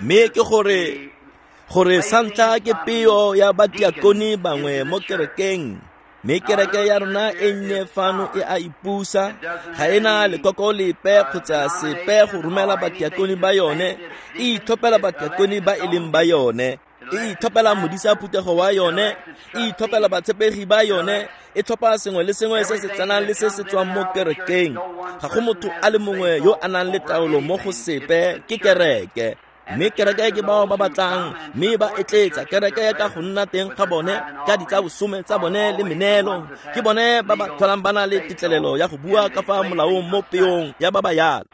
Mme ke gore santlha ke peo ya batiakone bangwe mo kerekeng. Mme kereke ya rona e nnye fano e a ipusa, ga ena lekoko lepe kgotsa sepe go romela batiakone ba yone, e itlhophela batiakone ba e leng ba yone, e itlhophela modisa phuthego wa yone, e itlhophela batshepegi ba yone, e tlhopha sengwe le sengwe se se tsenang le se se tswang mo kerekeng. Ga go motho a le mongwe yo a nang le taolo mo go sepe, ke kereke. Mme kereke ke bao ba batlang, mme ba etletsa kereke ka go nna teng ga bone, ka ditsa bosome tsa bone le meneelo. Ke bone ba ba tlholang ba na le tetlelelo ya go bua ka fa molaong mo peong ya ba ba yalo.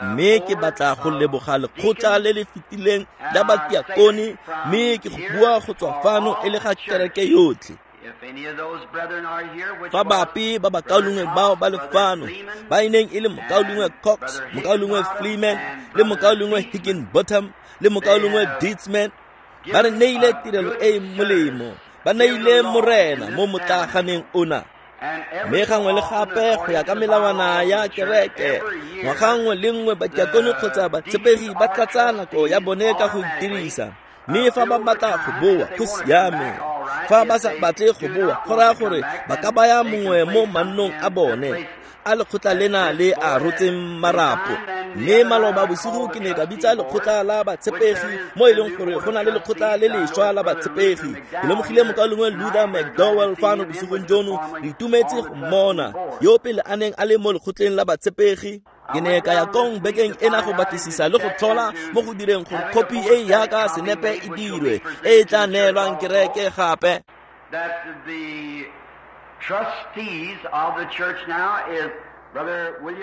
Mme ke batla go leboga lekgotla le le fetileng la batiakone, mme ke go bua go tswa fano e le ga kereke yotlhe. Fa bape ba bakaulengwe bao ba le fano, ba e neng e le mokaulengwe Cox, mokaulengwe Fleeman, le mokaulengwe Higginbotham, le mokaulengwe Dietzman, ba re neile tirelo e e molemo, ba neile Morena mo motlaaganeng ona. Mme gangwe le gape go ya ka melawana ya kereke, ngwaga nngwe le nngwe batiakone kgotsa batshepegi ba tlatsa nako ya bone ka go itirisa. Mme fa ba batla go boa, go siame. Fa ba sa batle go boa, go raya gore ba ka baya mongwe mo mannong a bone a lekgotla lena le a rotseng marapo. Mme maloba bosigo ke ne ka bitsa lekgotla la batshepegi, mo e leng gore go na le lekgotla le lešwa la batshepegi. Ke lemogile mokaulengwe Luther McDowell fano bosigong jono, re itumetse go mmona, yo pele a neng a le mo lekgotleng la batshepegi. Ke ne ka ya kong bekeng ena go batlisisa le go tlhola mo go direng gore khopi e yaka senepe e dirwe, e e tla neelwang kereke gape.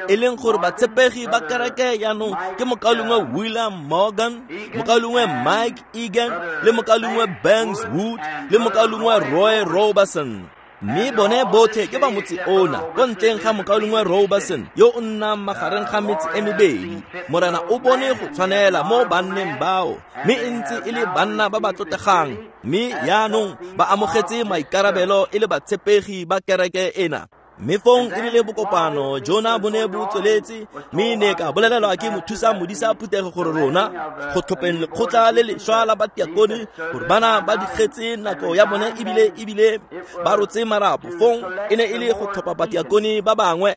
E leng gore batshepegi ba kereke jaanong ke mokaulengwe William Morgan, mokaulengwe Mike Egan, le mokaulengwe Banks Wood, le mokaulengwe Roy Roberson. Mme bone botlhe ke ba motse ona, ko ntleng ga mokaulengwe Roberson yo o nnang magareng ga metse e mebedi. Morena o bone go tshwanela mo banneng bao, mme e ntse e le banna ba ba tlotlegang, mme jaanong ba amogetse maikarabelo e le batshepegi ba kereke ena. Mme fong e rile bokopano jona bo ne bo tsweletse, mme ne ka bolelelwa ke mothusa modisa phuthego gore rona go tlhopheng lekgotla le lešwa la batiakone, gore bana ba digetse nako ya bone ebile ba rotse marapo. Fong e ne e le go tlhopha batiakone ba bangwe.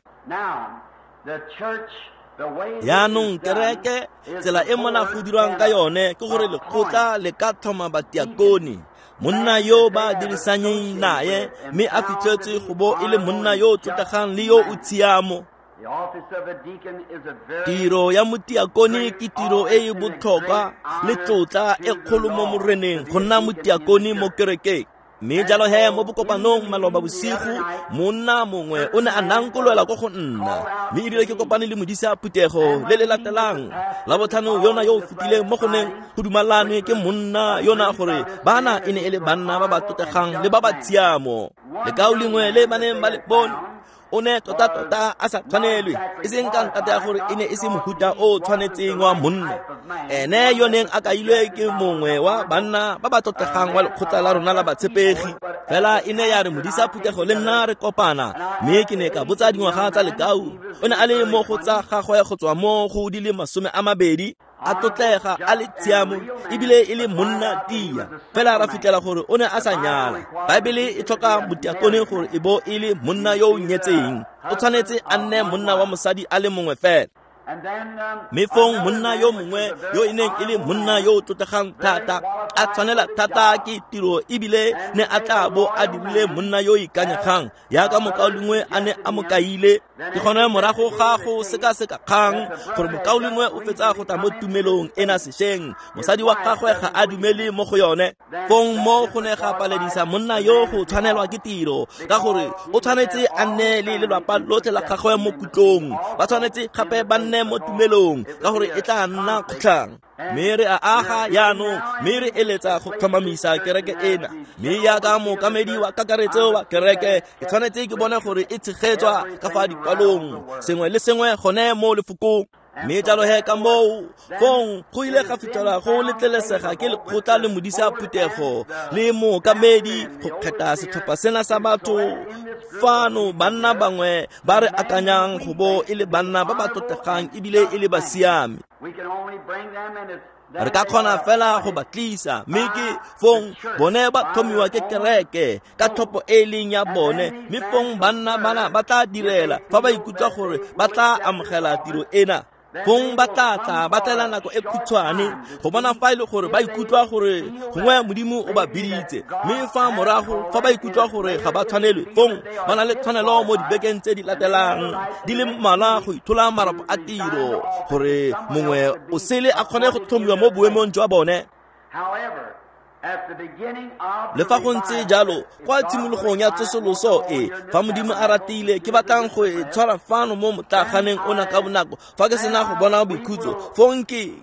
Jaanong kereke, tsela e mona go dirwang ka yone ke gore lekgotla le ka tlhoma batiakone, monna yo ba dirisanyeng naye, mme a fitlhetswe go bo e le monna yo o tlotlegang le yo o tshiamo. Tiro ya motiakone ke tiro e e botlhokwa le tlotla e kgolo mo Moreneng go nna motiakone mo kerekeng. Mme jalo he mo bokopanong maloba bosigo, monna mongwe o ne a nankolwela ko go nna, mme ebile ke kopane le modisa phuthego le le latelang la botlhano yona yo o fetileng, mo go neng go dumalanwe ke monna yona gore bana e ne e le banna ba ba tlotlegang le ba ba tshiamo. Lekao lengwe le ba neng ba le bone, o ne tota-tota a sa tshwanelwe, e seng ka ntata ya gore e ne e se mohuta o tshwanetseng wa monna. Ene yo neng a kailwe ke mongwe wa banna ba ba tlotlegang wa lekgotla la rona la batshepegi. Fela e ne ya re modisa phuthego le nna re kopana, mme ke ne ka botsa dingwaga tsa lekau. O ne a le mo go tsa gagwe go tswa mo go di le 20, a tlotlega, a le tshiamo, ebile e le monna tia. Fela ra fitlhela gore o ne a sa nyala. Baebele e tlhoka motiakone gore e bo e le monna yo o nyetseng. O tshwanetse a nne monna wa mosadi a le mongwe fela. Mme fong monna yo mongwe yo e neng e le monna yo o tlotlegang thata, a tshwanela thata ke tiro, ebile ne a tla bo a dirile monna yo o ikanyegang yaka mokaulengwe a ne a mo kaile. Ke gone morago ga go sekaseka kgang gore mokaulengwe o fetsa go tla mo tumelong ena sešweng, mosadi wa gagwe ga a dumele mo go yone. Fong mo go ne ga paledisa monna yo go tshwanelwa ke tiro, ka gore o tshwanetse a nne le lelapa lotlhe la gagwe mo kutlong, ba tshwanetse gape ba nne mo tumelong, ka gore e tla nna kgotlhang. Mme re a aga jaanong, mme re eletsa go tlhomamisa kereke ena. Mme jaaka mookamedi wa kakaretso wa kereke, ke tshwanetse ke bone gore e tshegetswa ka fa dikwalong, sengwe le sengwe gone mo lefokong. Mme jalo he ka moo fong go ile ga fitlhelwa go letlelesega ke lekgotla le modisa phuthego le mookamedi go kgetha setlhopha sena sa batho fano, banna bangwe ba re akanyang go bo e le banna ba ba tlotlegang ebile e le basiami. Re ka kgona fela go ba tlisa, mme ke fong bone ba tlhomiwa ke kereke ka tlhopho e leng ya bone, mme fong banna bana ba tla direla fa ba ikutlwa gore ba tla amogela tiro ena. Fong ba tla tla ba tlela nako e khutshwane go bona fa e le gore ba ikutlwa gore gongwe Modimo o ba biditse, mme fa morago fa ba ikutlwa gore ga ba tshwanelwe, fong ba na le tshwanelo mo dibekeng tse di latelang di le mmalwa go ithola marapo a tiro gore mongwe o sele a kgone go tlhomiwa mo boemong jwa bone. Le fa go ntse jalo, kwa tshimologong ya tsosoloso e, fa Modimo a ratile, ke batlang go e tshwara fano mo motlaganeng ona ka bonako fa ke sena go bona boikhutso, fong ke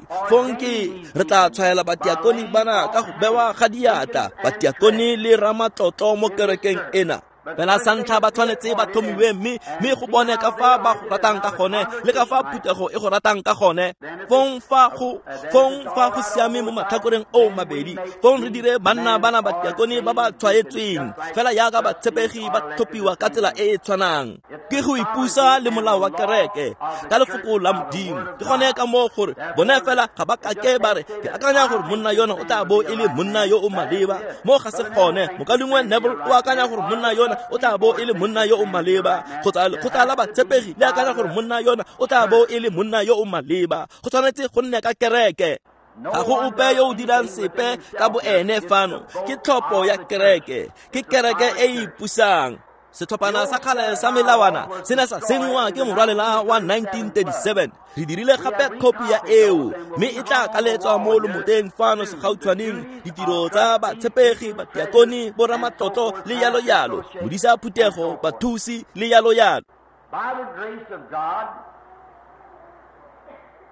re tla tshwaela batiakoni bana ka go bewa ga diatla, batiakoni le ramatlotlo mo kerekeng ena. Fela sa ntlha ba tshwanetse ba tlhomiwe mme go bone ka fa ba go ratang ka gone le ka fa phuthego e go ratang ka gone. Fong fa go siame mo matlhakoreng o mabedi, fong re dire banna bana batiakoni ba ba tshwaetsweng fela jaaka batshepegi ba tlhophiwa ka tsela e e tshwanang. Ke go ipusa le molao wa kereke ka lefoko la Modimo. Ke gone ka moo gore bone fela ga ba kake ba re ke akanya gore monna yona o tla bo e le monna yo o maleba. Mo ga se gone, mokaulengwe Neville o akanya gore monna yona o tla bo e le monna yo o maleba, kgotsa lekgotla la batshepegi le akanya gore monna yona o tla bo e le monna yo o maleba. Go tshwanetse go nne ka kereke. Ga go ope yo o dirang sepe ka boene fano. Ke tlhopho ya kereke, ke kereke e e ipusang. Setlhophana sa kgale sa melawana se ne sa senngwa ke morwalela wa 1937. Re dirile gape khopi ya eo, mme e tla kaletswa mo lomoteng fano segautshwaneng. Ditiro tsa batshepegi, batiakoni, boramatlotlo le yalo yalo, modisa phuthego, bathusi le yalo yalo.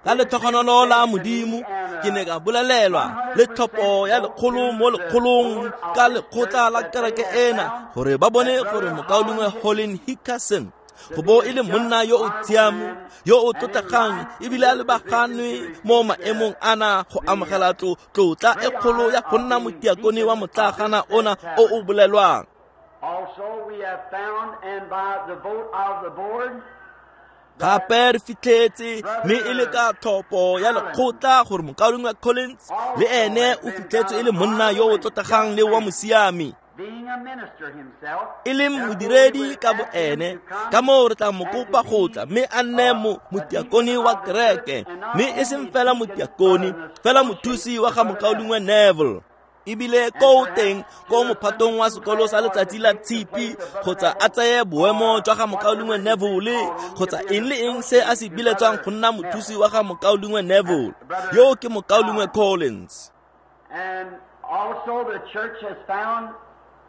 Ka letlhogonolo la Modimo ke ne ka bolelelwa le tlhopho ya lekgolo mo lekgolong ka lekgotla la kereke ena gore ba bone gore mokaulengwe Holin Hickerson go bo e le monna yo o tshiamo, yo o tlotlegang ebile a lebaganwe mo maemong ana go amogela tlotla e kgolo ya go nna motiakone wa motlagana ona o o bolelwang. Also we have found, and by the vote of the board, Gape re fitlhetse mme e le ka tlhopho ya lekgotla gore mokaulengwe Collins le ene o fitlhetse e le monna yo o tlotlegang le wa mosiami, e leng modiredi ka boene. Ka moo re tla mo kopa go tla mme a nne motiakoni wa kereke, mme e seng fela motiakoni, fela mothusi wa ga mokaulengwe Neville. Ebile ko teng ko mophatong wa sekolo sa letsatsi la tshipi, kgotsa a tseye boemo jwa ga mokaulengwe Neville, kgotsa eng le eng se a se biletswang go nna mothusi wa ga mokaulengwe Neville. Yo ke mokaulengwe Collins. And also the church has found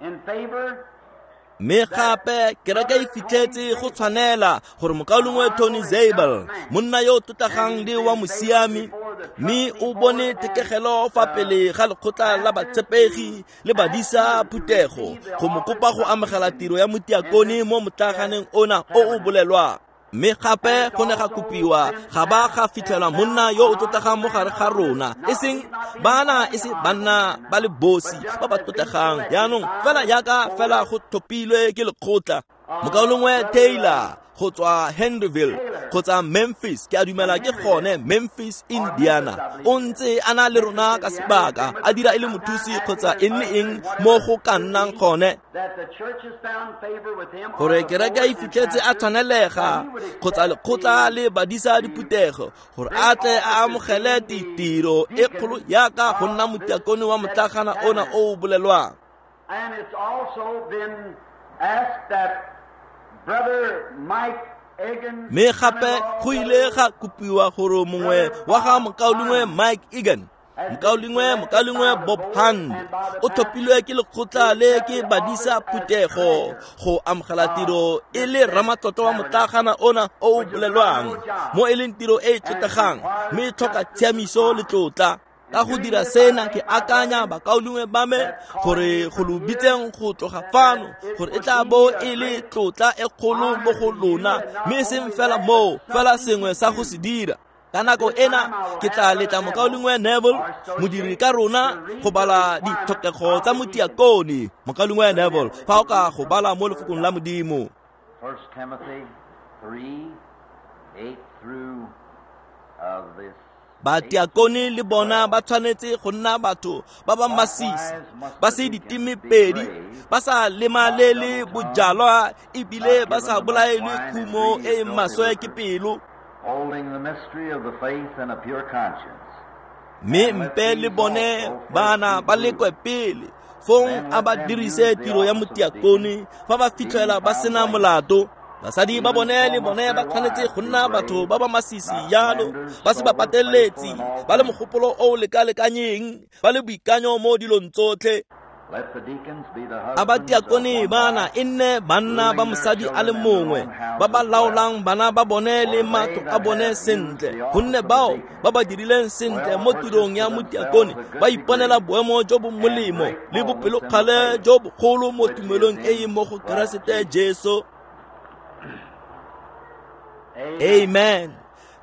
in favor Mme gape kereke e fitlhetse go tshwanela gore mokaulengwe Tony Zabel, monna yo o tlotlegang le wa mosiami, mme o bone thekegelo fa pele ga lekgotla la batshepegi le badisa phuthego go mo kopa go amogela tiro ya motiakone mo motlaganeng ona o o bolelwang. Mme gape go ne ga kopiwa ga ba ga fitlhelwa monna yo o tlotlegang mo gare ga rona, e seng bana, e se banna ba le bosi ba ba tlotlegang jaanong, fela jaaka fela go tlhophilwe ke lekgotla. Mokaulengwe Taylor go tswa Henryville kgotsa Memphis, ke a dumela ke gone Memphis, Indiana, o ntse a na le rona ka sebaka a dira e le mothusi kgotsa eng le eng mo go ka nnang gone, gore kereke e fitlhetse a tshwanelega kgotsa lekgotla le badisa diphuthego gore a tle a amogele tiro e kgolo jaaka go nna motiakone wa motlagana ona o o bolelwang. And it's also been asked that Brother Mike Egan, Mme gape go ile ga kopiwa gore mongwe wa ga mokaulengwe Mike Egan, mokaulengwe Bob Hand, o tlhophilwe ke lekgotla le ke badisa phuthego go amogela tiro e le ramatlotlo wa motlagana ona o o bolelwang, mo e leng tiro e e tlotlegang mme e tlhoka tshiamiso le tlotla. Ka go dira sena ke akanya bakaulengwe ba me gore go lo bitseng go tloga fano gore e tla bo e le tlotla e kgolo mo go lona, mme e seng fela moo, fela sengwe sa go se dira. Ka nako ena ke tla letla mokaulengwe Neville, modiri ka rona, go bala ditlhokego tsa motiakone. Mokaulengwe Neville, fa o ka go bala mo lefokong la Modimo. 1 Timothy 3, 8 through this. Batiakone le bona ba tshwanetse go nna batho ba ba masisi, ba se ditemepedi, ba sa lemalele bojalwa ebile ba sa bolaelwe khumo e e maswe ke pelo. Holding the mystery of the faith and a pure conscience. Mme mpe le bone bana ba lekwe pele, fong a ba dirise tiro ya motiakone fa ba fitlhela ba sena molato. Basadi ba bone le bone ba tshwanetse go nna batho ba ba masisi jalo, ba se ba pateletse, ba le mogopolo o o lekalekanyeng, ba le boikanyo mo dilong tsotlhe. Let the deacons be the A husbands of batiakone one bana wife, e nne banna ba mosadi a le mongwe, ba ba laolang bana ba bone le matlo a bone sentle, gonne bao ba ba dirileng sentle mo tirong ya motiakone ba iponela boemo jo bo molemo le bopelokgale jo bogolo mo tumelong e e mo go Keresete Jesu. Amen.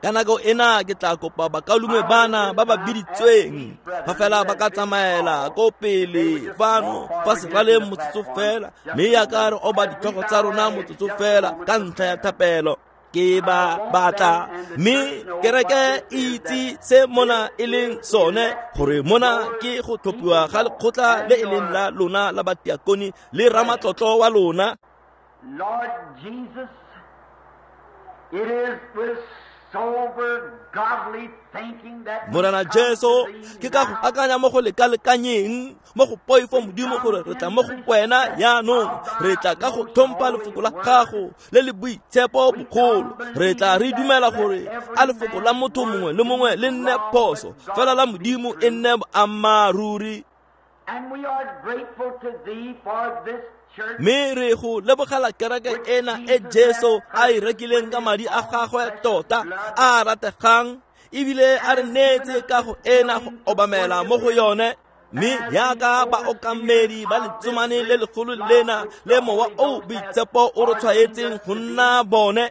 Ka nako ena ke tla kopa bakaulengwe bana ba ba biditsweng fa fela ba ka tsamaela ko pele fano fa seraleng motsotso fela, mme yaka re oba ditlhogo tsa rona motsotso fela ka ntlha ya thapelo. Ke ba batla mme kereke e itse se mona e leng sone, gore mona ke go tlhophiwa ga lekgotla le e leng la lona la batiakone le ramatlotlo wa lona. Lord Jesus, it is with sober, godly thinking that we Morena come Jesu, to thee ke ka go now. akanya mo go lekalekanyeng mo go poifo Modimo gore re tla mo go wena jaanong, re tla ka go tlhompha lefoko la gago le le boitshepo bogolo. Re tla re dumela gore a lefoko la motho mongwe le mongwe le nne phoso, fela la Modimo e nne boammaaruri. And we are grateful to thee for this church. Mme re go lebogela kereke ena e Jesu a e rekileng ka madi a gagwe tota a a rategang, ebile a re neetse ka go ena go obamela mo go yone. Mme yaka baokamedi ba letsomane le legolo lena le mowa o boitshepo o re tshwaetseng go nna bone,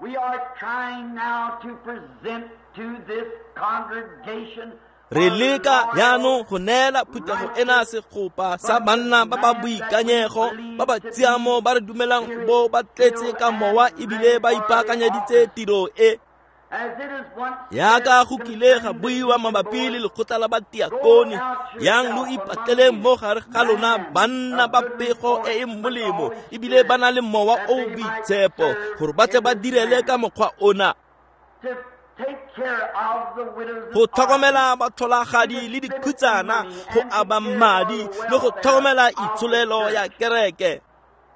We are trying now to present to this congregation re leka jaanong go neela phuthego ena segopa sa banna ba ba boikanyego, ba ba tshiamo, ba re dumelang go bo ba tletse ka mowa ebile ba ipaakanyeditse tiro e. as it is once Yaka go kile ga buiwa mabapi le lekgotla la batiakone, yang lo ipatleleng mo gare ga lona banna ba pego e e molemo ebile ba na le mowa o o boitshepo, gore ba tle ba direle ka mokgwa ona, to take care of the widows and go tlhokomela batlholagadi le dikhutsana, go aba madi le go tlhokomela itsholelo ya kereke.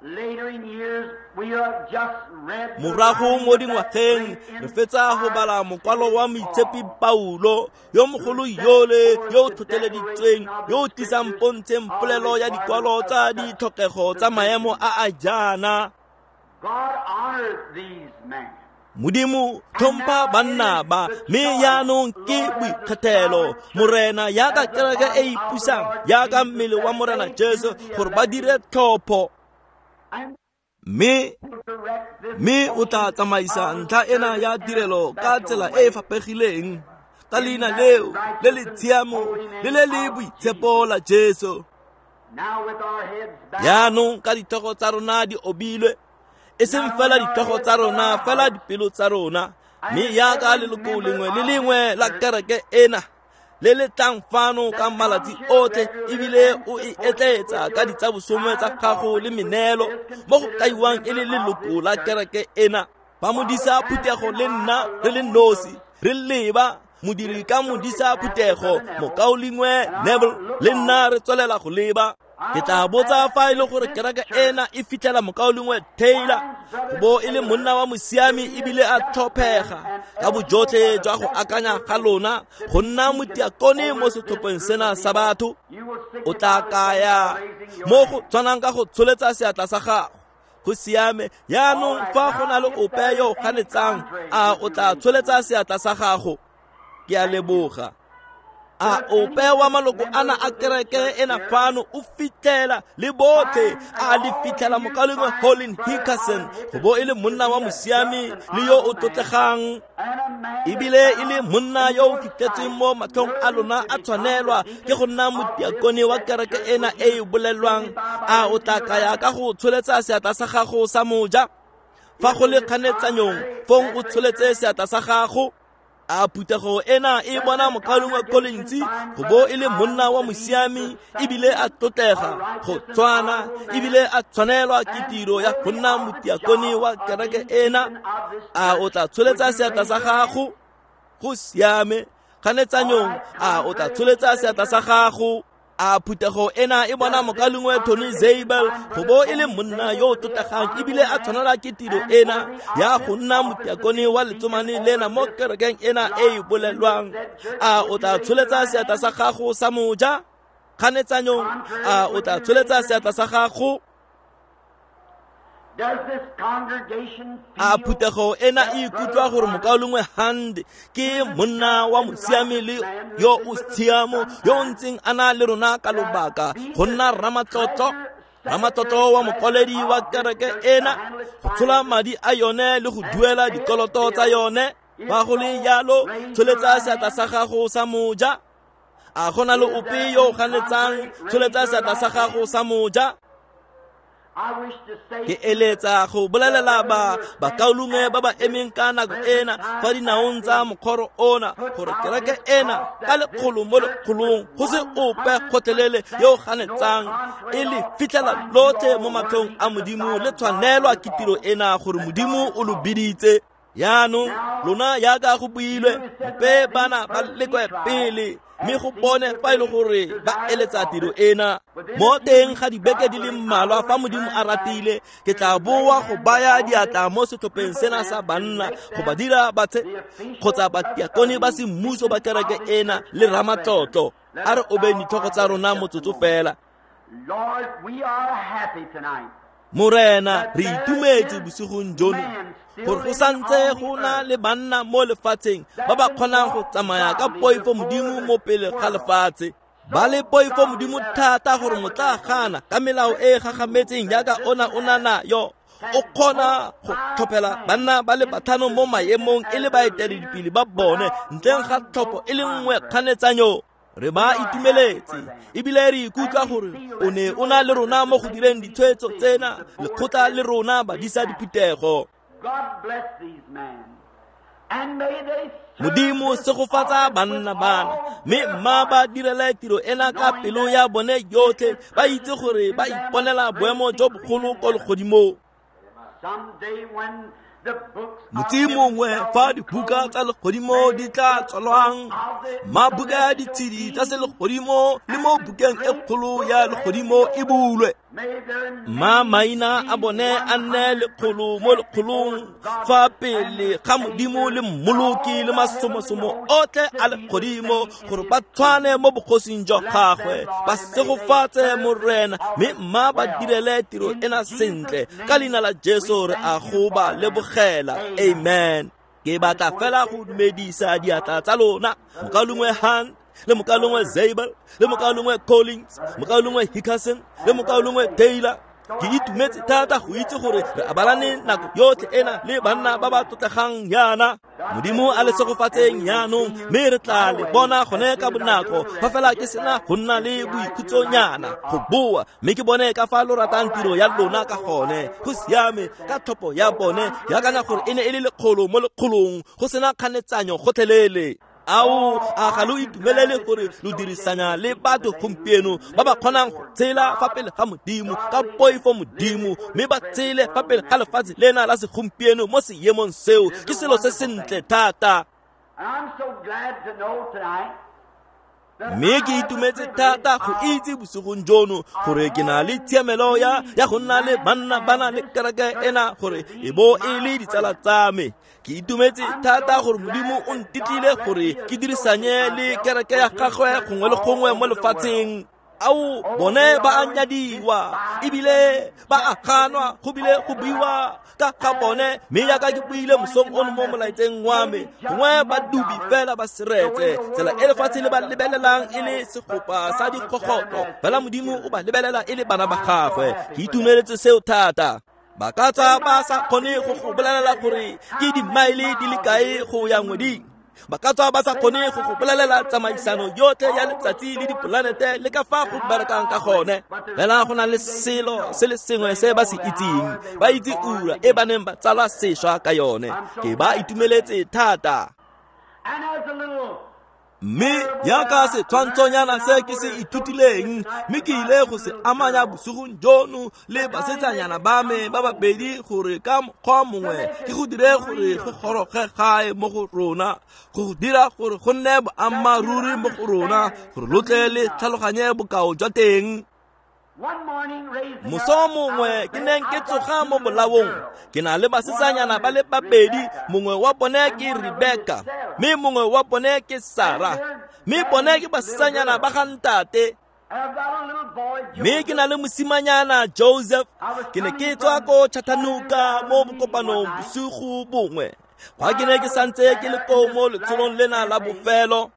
Later in years, we have just read the Morago mo writing of that dingwageng great re fetsa go bala mokwalo wa moitshepi inspired Paulo yo mogolo yole yo o tlhotlheleditsweng, yo o tlisang pontsheng polelo ya dikwalo tsa ditlhokego tsa maemo a a jaana. God honored these men. Modimo tlhompha banna ba, mme jaanong ke boikgethelo Morena yaka kereke e ipusang yaka mmele wa Morena Jesu, gore ba dire tlhopho. And Mme direct this mme o tla tsamaisa ntlha ena ya tirelo ka tsela e e fapegileng, ka leina leo le le tshiamo le le le boitshepo la Jesu. now with our heads bowed, Jaanong ka ditlhogo tsa rona di obilwe, e seng fela ditlhogo tsa rona, fela dipelo tsa rona, mme yaka leloko lengwe le lengwe la kereke ena le le tlang fano ka malatsi otlhe ebile o e etleetsa ka ditsabosome tsa gago le meneelo mo go kaiwang e le leloko la kereke ena, ba modisa phuthego le nna re le nosi re leba modiri ka modisa phuthego mokaulengwe Neville le nna re tswelela go leba. Ke tla botsa fa e le gore kereke ena e fitlhela mokaulengwe Taylor go bo e le monna wa mosiami ebile a tlhophega ka bojotlhe jwa go akanya ga lona go nna motiakone mo setlhopheng sena sa batho. you will O tla signify the kaya same by raising your mo hand. go tshwanang ka go tsholetsa seatla sa gago. Go siame. Jaanong fa go na le ope yo o ganetsang, a o tla tsholetsa seatla sa gago? Ke a leboga. A ope wa maloko ana a kereke ena fano o fitlhela le botlhe a le fitlhela mokaulengwe Colin Hickerson go bo e le monna wa mosiami le yo o tlotlegang, ebile e le monna yo o fitlhetsweng mo matlhong a lona a tshwanelwa ke go nna motiakone wa kereke ena e e bolelwang. A o tla kaya ka go tsholetsa seatla sa gago sa moja? Fa go le kganetsanyong, fong o tsholetse seatla sa gago. A phuthego ena e bona mokaulengwe Collins go bo e le monna wa mosiami ebile a tlotlega go tshwana ebile a tshwanelwa ke tiro ya go nna motiakone wa kereke ena? A o tla tsholetsa seatla sa gago? Go siame. Kganetsanyong, a o tla tsholetsa seatla sa gago? A phuthego ena e bona mokaulengwe Tony Zabel go bo e le monna yo o tlotlegang ebile a tshwanela ke tiro ena ya go nna motiakone wa letsomane lena mo kerekeng ena e e bolelwang? A o tla tsholetsa seatla sa gago sa moja? Kganetsanyong, a o tla tsholetsa seatla sa gago? A phuthego ena e ikutlwa gore mokaulengwe Hand ke monna wa mosiami le yo o tshiamo yo o ntseng a na le rona ka lobaka go nna ramatlotlo wa mokwaledi wa kereke ena, go tshola madi a yone le go duela dikoloto tsa yone? Ba go le jalo, tsholetsa seatla sa gago sa moja. A go na le ope yo o ganetsang? Tsholetsa seatla sa gago sa moja. Ke eletsa go bolelela ba bakaulengwe ba ba emeng ka nako ena fa dinaong tsa mokgoro ona gore kereke ena ka lekgolo mo lekgolong go se ope gotlhelele yo o ganetsang, e le fitlhela lotlhe mo matlhong a Modimo le tshwanelwa ke tiro ena gore Modimo o lo biditse. Yaanong lona yaka go builwe, mpe bana ba lekwe pele mme go bone fa e le gore ba eletsa tiro ena. Mo teng ga dibeke di le mmalwa, fa Modimo a ratile, ke tla boa go baya diatla mo setlhopheng sena sa banna go ba dira batshe kgotsa batiakone ba semmuso ba kereke ena le ramatlotlo. A re obeng ditlhogo tsa rona motsotso fela. Morena, re itumetse bosigong jono gore go santse go na le banna mo lefatsheng ba ba kgonang go tsamaya ka poifo Modimo mo pele ga lefatshe, ba le poifo Modimo thata gore motlaagana ka melao e e gagametseng jaaka ona o na nayo o kgona go tlhophela banna ba le batlhano mo maemong e le baeteledipele ba bone ntleng ga tlhopho e le nngwe kganetsanyo. Re ba itumeletse ebile re ikutlwa gore o ne o na le rona mo go direng ditshwetso tsena, lekgotla le rona badisa diphuthego. Modimo segofatsa banna bana mme mma ba direle tiro ena ka pelo ya bone yotlhe, ba itse gore ba iponela boemo jo bogolo ko legodimong. Motsi mongwe fa dibuka tsa legodimo di tla tswalwang, mabuka ya ditshedi tsa selegodimo le mo bukeng e kgolo ya legodimo e bulwe, mma maina a bone a nne lekgolo mo lekgolong fa pele ga Modimo le Mmoloki le masomosomo otlhe a legodimo, gore ba tshwane mo bogosing jwa gagwe. Ba segofatse, Morena, mme mma ba direle tiro ena sentle. Ka leina la Jesu re a go ba lebogela, amen. Ke batla fela go dumedisa diatla tsa lona, mokaulengwe Han le mokaulengwe Zabel le mokaulengwe Collins, mokaulengwe Hickerson le mokaulengwe Taylor. Ke itumetse thata go itse gore re abalane nako yotlhe ena le banna ba ba tlotlegang yana. Modimo a le segofatseng yaanong, mme re tla le bona gone ka bonako fa fela ke sena go nna le boikhutsonyana go boa, mme ke bone ka fa lo ratang tiro ya lona ka gone. Go siame. Ka tlhopho ya bone, ke akanya gore e ne e le lekgolo mo lekgolong go sena kganetsanyo gotlhelele. Ao, a ga lo itumelele gore lo dirisanya le batho gompieno ba ba kgonang go tshela fa pele ga Modimo ka poifo Modimo, mme ba tshele fa pele ga lefatshe lena la segompieno mo seemong seo? Ke selo se sentle thata. Mme ke itumetse thata go itse bosigong jono gore ke na le tshiamelo ya go nna le banna ba na le kereke ena gore e bo e le ditsala tsa me. Ke itumetse thata gore Modimo o ntetlile gore ke dirisanye le kereke ya gagwe gongwe le gongwe mo lefatsheng. Ao bone ba a nyadiwa ebile ba a ganwa go bile go buiwa ka ga bone, mme jaaka ke buile mosong ono mo molaetseng wa me, gongwe ba dubi fela ba seretse tsela e lefatshe le ba lebelelang e le segopa sa dikgogotlo, fela Modimo o ba lebelela e le bana ba gagwe. Ke itumeletse seo thata. Ba ka tswa ba sa kgone go go bolelela gore ke dimaele di le kae go ya ngweding, ba ka tswa ba sa kgone go go bolelela tsamaisano yotlhe ya letsatsi le dipolanete le ka fa go berekang ka gone, fela go na le selo se le sengwe se ba se itseng, ba itse ura e ba neng ba tsalwa sešwa ka yone. Ke ba itumeletse thata. Mme jaaka setshwantshonyana se ke se ithutileng, mme ke ile go se amanya bosigong jono le basetsanyana ba me ba babedi gore ka mokgwa mongwe ke go dire gore go goroge gae mo go rona, go dira gore go nne boammaaruri mo go rona, gore lo tle le tlhaloganye bokao jwa teng. Moso mongwe ke neng ke tsoga mo bolaong, ke na le basetsanyana ba le babedi, mongwe wa bone ke Rebecca mme mongwe wa bone ke Sarah, mme bone ke basetsanyana ba ga ntate. Mme ke na le mosimanyana Joseph. Ke ne ke tswa ko Chattanooga mo bokopanong bosigo bongwe, fa ke ne ke santse ke le koo mo letsholong lena la bofelo,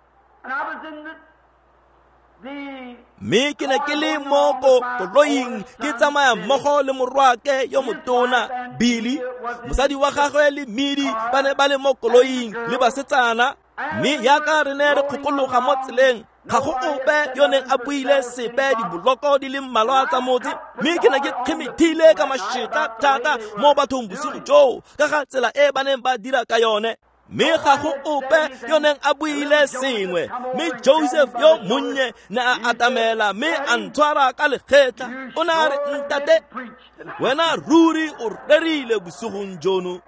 mme ke ne ke le mo koloing ke tsamaya mmogo le morwake yo motona Billy, mosadi wa gagwe le Midi ba ne ba le mo koloing le basetsana, mme jaaka re ne re kgokologa mo tseleng, ga go ope yo neng a buile sepe diboloko di le mmalwa tsa motse, mme ke ne ke kgemethile ka mašetla thata mo bathong bosigo joo ka ga tsela e ba neng ba dira ka yone. Mme ga go ope yo neng a buile sengwe, mme Joseph yo monnye ne a atamela mme a ntshwara ka legetla. O ne a re, ntate, wena ruri o rerile bosigong jono.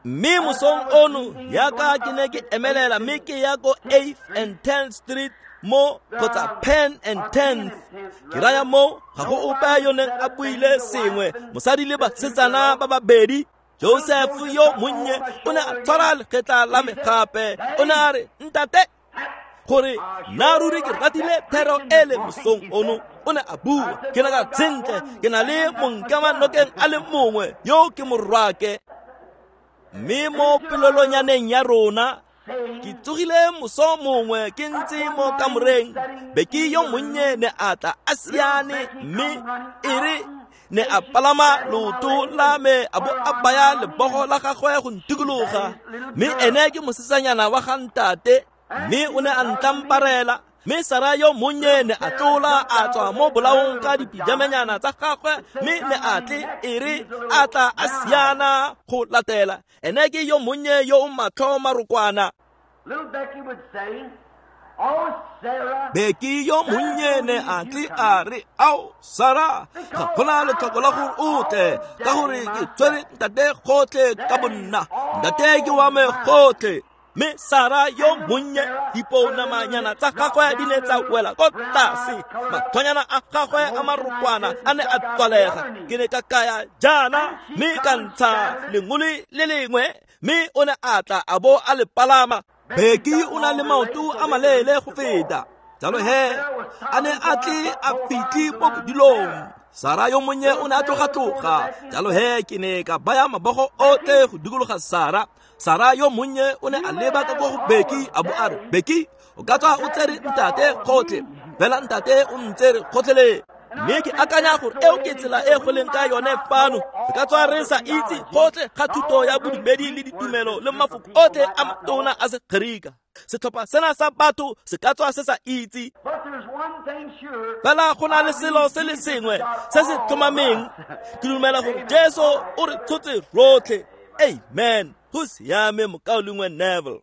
Mme mosong ono jaaka ke ne ke emelela mme ke ya ko 8th and 10th Street mo kgotsa Penn and 10th, ke raya mo ga go ope yo neng a buile sengwe, mosadi le basetsana ba babedi. Joseph yo monnye o ne a tshwara legetla la me gape, o ne a re, ntate, gore nna ruri ke ratile thero ele mosong ono. O ne a bua, ke ne ka sentle, ke na le monkamanokeng a le mongwe yo ke morwake. Mme mo pelelonyaneng ya rona, ke tsogile moso mongwe ke ntse mo kamoreng, Becky yo monnye ne a tla a siane, mme e re ne a palama leoto la me a bo a baya lebogo la gagwe go ntikologa, mme ene ke mosetsanyana wa ga ntate, mme o ne a ntlamparela. Mme Sarah yo monnye ne a tlola a tswa mo bolaong ka dipijamanyana tsa gagwe, mme ne a tle e re a tla a siana go latela. Ene ke yo monnye yo o matlho marokwana. Becky yo monnye ne a tle a re, ao Sarah, ga gona letlhoko la gore o tle, ka gore ke tshwere ntate gotlhe ka bonna, ntate ke wa me gotlhe. Mme Sarah yo monnye, dipounamanyana tsa gagwe di ne tsa wela ko tlase, mathonyana a gagwe a marokwana a ne a tswalega. Ke ne ka kaya jaana mme ka ntsha lengole le lengwe, mme o ne a tla a bo a le palama. Becky o na le maoto a maleele go feta, jalo he a ne a tle a fitlhe mo bodilong. Sarah yo monnye o ne a tloga-tloga, jalo he ke ne ka baya mabogo otlhe go dikologa Sarah. Sarah yo monnye o ne a leba ka ko go Becky a bo a re, Becky, o ka tswa o tsere ntate gotlhe, fela ntate o ntsere gotlhelele. Mme ke akanya gore eo ke tsela e go leng ka yone fano. Re ka tswa re sa itse gotlhe ga thuto ya bodumedi le ditumelo le mafoko otlhe a matona a Segerika. Setlhopha sena sa batho se ka tswa se sa itse, fela go na le selo se le sengwe se se tlhomameng. Ke dumela gore Jesu o re tshotse rotlhe. Amen. Go siame, mokaulengwe Neville.